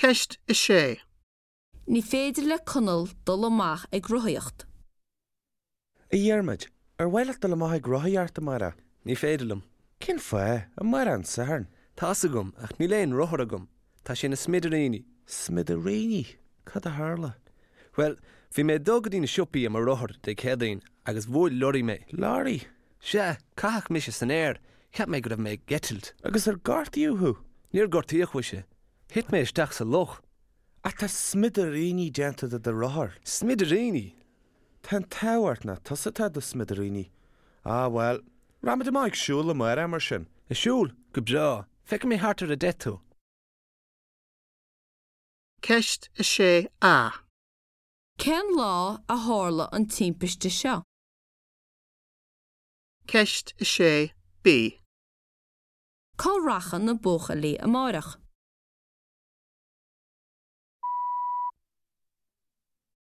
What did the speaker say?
Ceist 6. Ní féidir le Conall dul amach ag rothaíocht. A Dhiarmaid, ar mhaith leat dul amach ag rothaíocht amárach? Ní féidir liom. Cén fáth? Amárach an Satharn. Tá's agam, ach níl aon rothar agam. Tá sé ina smidiríní. Smidiríní? Cad a tharla? Bhuel, bhí mé ag dul go dtí na siopaí ar mo rothar Dé Céadaoin agus bhuail lorraí mé. Lorraí? Sea, caitheadh mise san aer. Cheap mé go raibh mé ag eitilt. Agus ar gortaíodh thú? Níor gortaíodh mhuise. Thit mé isteach sa loch. Ach tá smidiríní déanta de do rothar. Smidiríní? Tá an t-ádh ort nach tusa atá i do smidiríní. Ah, bhuel, raghaimid amach ag siúl amárach mar sin. Ag siúl? Go breá. Feicfidh mé thart ar 10 tú. Ceist 6A. Cén lá a tharla an timpiste seo? Ceist 6B. Cá rachaidh na buachaillí amárach?